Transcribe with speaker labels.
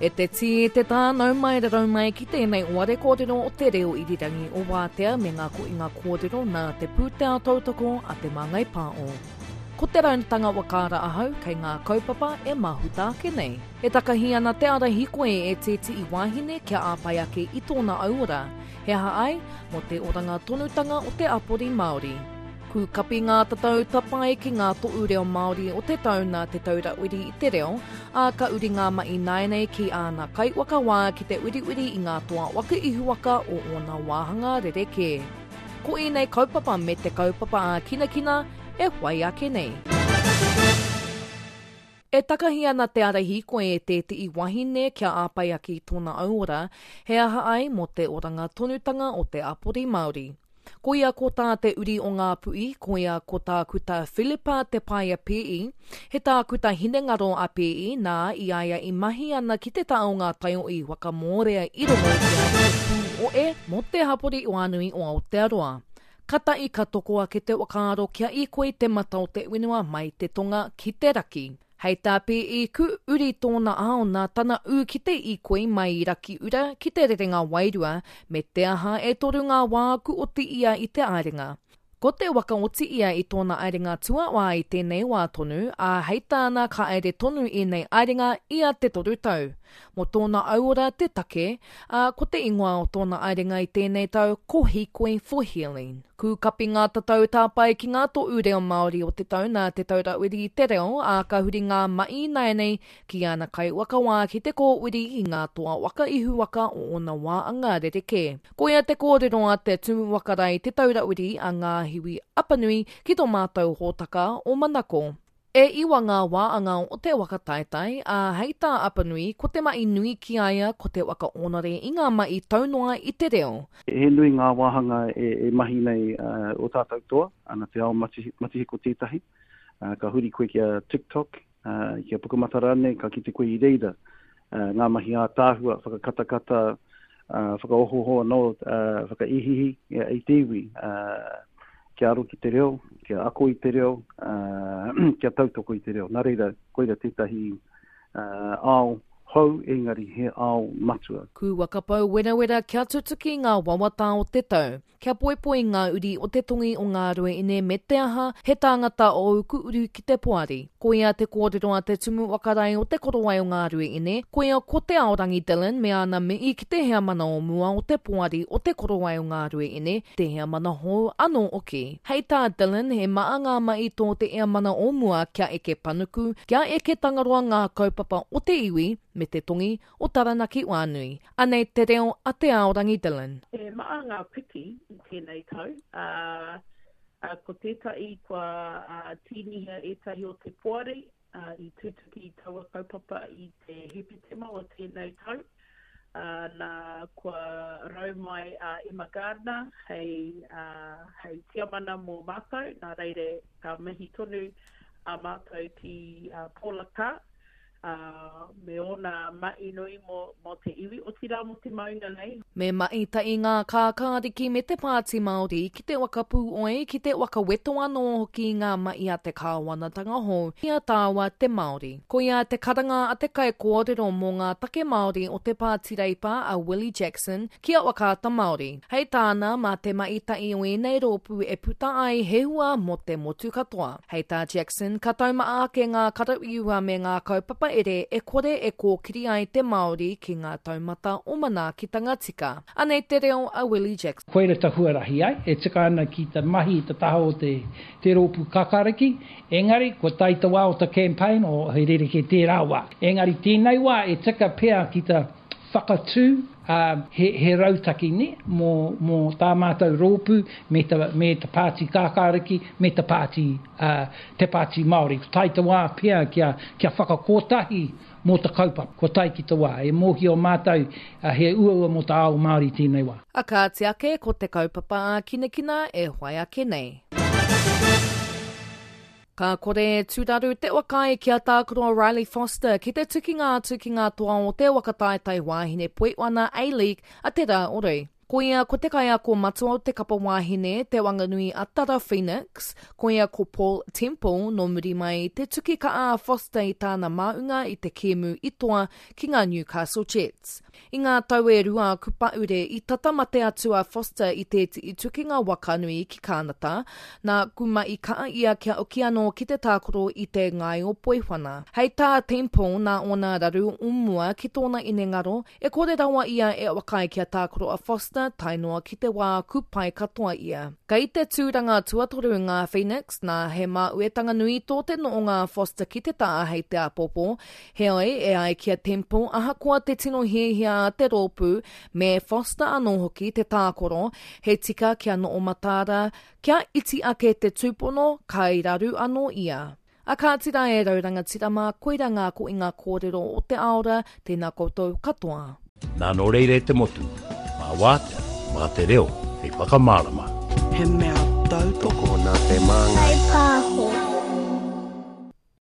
Speaker 1: E te tī, te tā, nau mai rarau mai ki tēnei oare kōrero o te reo irirangi o Wātea me ngā kohinga kōrero nā te pūtea tautoko a Te Māngai Pāo. Ko te raunatanga whakaara ahau kei ngā kaupapa e mahuta ake nei. E takahi ana te ara hikoi e tētehi wahine kia āpai ake i tōna auora. He aha ai? Mō te oranga tonutanga o te apori Māori. Kūkapi ngā tatau tapae ki ngā toʻu reo Māori o te tau nā Te Taura Whiri i te Reo, ā, ka uri ngā maʻi nāianei ki āna kaiwhakawā ki te uriuri i ngā toa waka ihuwaka o ōna wāhanga rerekē. Ko ēnei kaupapa me te kaupapa ā-kinakina e whai ake nei. E takahi ana te ara hīkoi e tēteʻi wahine kia āpai ake i tōna auora, he aha ai mō te oranga tonutanga o te apori Māori. Koia ko tā te uri o Ngāpuhi, koia ko Tākuta Philippa Te Paea Pē'i, he tākuta hinengaro a Pē'i, nā, i a ia i mahi ana ki te taha o ngā taiohi waka mōrea i rongo ia i te pūoe mō te hapori whānui o Aotearoa. Katahi ka toko ake te whakaaro kia īkoi te mata o te whenua mai te tonga ki te raki. Hei tā PE Ku uri tōna ao nā tana ū ki te īkoi mai i Rakiura ki te Rerenga Wairua, me te aha e toru ngā wā ku oti ia i te aerenga. Ko te waka oti ia i tōna aerenga tuawā i tēnei wā tonu, ā, hei tāna ka aere tonu ēnei aerenga ia te toru tau. Mō tōna auora te take, ā, ko te ingoa o tōna aerenga i tēnei tau ko Hīkoi for Healing. Kūkapi ngā tatau tāpae ki ngā toʻu reo Māori o te tau nā Te Taura Whiri i te Reo, ā, ka huri ngā maʻi ināianei ki āna kaiwhakawā ki te kōwiri i ngā toa waka ihuwaka o ōna wāanga rerekē. Koia te kōrero a te Tumu Whakarae Te Taura Whiri a Ngāhiwi Apanui ki tō mātou hōtaka o Manako. E iwa ngā wāanga o te waka taetae, ā, hei tā Apanui, ko te mahi nui ki a ia ko te waka ōnare i ngā mahi taunoa i te reo.
Speaker 2: He nui ngā wāhanga e mahi nei ō tātou toa, ana te ao matihiko tētahi. Ka huri koe ki a TikTok, ki a Pukamata rānei, ka kite koe i reira ngā mahi ātaahua, whakakatakata, whakaohooho anō, whakaihiihi i te iwi kia aro ki te reo, kia ako i te reo, kia tautoko i te reo. Nā reira, koira tētahi ao hou, engari he ao matua.
Speaker 1: Kūwaka pou werawera kia tutuki ngā wawata o te tau. Kia poipoi ngā uri o te tongi o Ngāruaine me te aha, he tāngata o uku uru ki te poari. Koia te kōrero a te Tumu Whakarae o Te Korowai o Ngāruaine, koia ko Te Aorangi Dillon me āna mihi ki te heamana o mua o te poari o Te Korowai o Ngāruaine, te heamana hou anō hoki. Hei tā Dillon, he maha ngā mahi tō te heamana o mua kia eke panuku, kia eke Tangaroa ngā kaupapa o te iwi me te tongi o Taranaki Whānui. Anei te reo a Te Aorangi Dillon.
Speaker 3: He maha ngā piki i tēnei tau, ā, ko tētahi kua tīnihia ētahi o te poari i tutuki i taua kaupapa i te Hepetema o tēnei tau, ā, nā, kua rau mai a Emma Gardiner hei, hei tiamana mō mātou, nā reira ka mihi tonu a mātou ki a Paula Carr, ā, me ōna mahi nui mō, mō te iwi, otirā mō te maunga nei.
Speaker 1: Me mahi tahi ngā kākāriki me te Pāti Māori ki te waka pūoi, ki te waka weto anō hoki i ngā mahi a te kāwanatanga hou i a tāua te Māori. Koia te karanga a te kaikōrero mō ngā take Māori o te Pāti Reipa a Willie Jackson ki a Whakaata Māori. Hei tāna, mā te mahi tahi o ēnei rōpū e puta ai he hua mō te motu katoa. Hei tā Jackson, ka taumaha ake ngā karawhiua me ngā kaupapa ere e kore e kōkiri ai te Māori ki ngā taumata o manaakitanga tika. Anei te reo a Willie Jackson.
Speaker 4: Koira ta huarahi ai, e tika ana ki ta mahi i ta taha o te te rōpū kakariki, engari kua tae ta wā o ta campaign, o he rerekē tērā wā. Engari tēnei wā e tika pea ki ta whakatū, ā, he, he rautaki, nē, mō, mō tā mātou rōpū me ta, me ta Pāti Kākāriki, me ta Pāti, ā, te Pāti Māori. Ko tae te wā pea kia, kia whakakotahi mō ta kaupapa. Kua tae ki te wā. E mōhio mātou, ā, he uaua mō ta ao Māori tēnei wā.
Speaker 1: A kāti ake, ko te kaupapa ā-kinakina e whai ake nei. Ka kore e tūraru te whakaae ki a Tākaro Riley Foster ki te tukinga atu ki ngā toa o te waka taetae wāhine Poiwana A-League a te rā o rei. Koia ko te kaiako matua o te kapa wāhine, Te Wanganui a Tara Phoenix, koia ko Paul Temple, nō muri mai i te tuki ka a Foster i tāna māunga i te kēmu i toa ki ngā Newcastle Jets. I ngā tau e rua aku paure i tata mate atu a Foster i tētihi tukinga waka nui ki Kānata, nā kuma i kaa ia kia oki anō ki te tākaro i te ngaio poiwhana. Hei tā Temple nā ōna raru o mua ki tōna inengaro, e kore rawa ia e whakaae kia tākaro a Foster tae noa ki te wā ku pai katoa ia. Kei te tūranga tuatoru ngā Phoenix, nā he māuetanga nui tō te noonga a Foster ki te tā hei te āpōpō, Heoi, e ai ki a Temple, ahakoa te tino hiahia a te rōpū, me Foster anō hoki te tākoro, he tika kia noho mataara, kia iti ake te tūpono, kai raru anō ia. A kāti rā e rau rangatira mā, koira ngā koinga kōrero o te aora, tēnā koutou katoa.
Speaker 5: Nā nō reira e te motu, mā wātea, mā te reo hei whakamārama.
Speaker 6: He mea tautoko.
Speaker 7: Tokona te māngai.
Speaker 8: Whaipāho.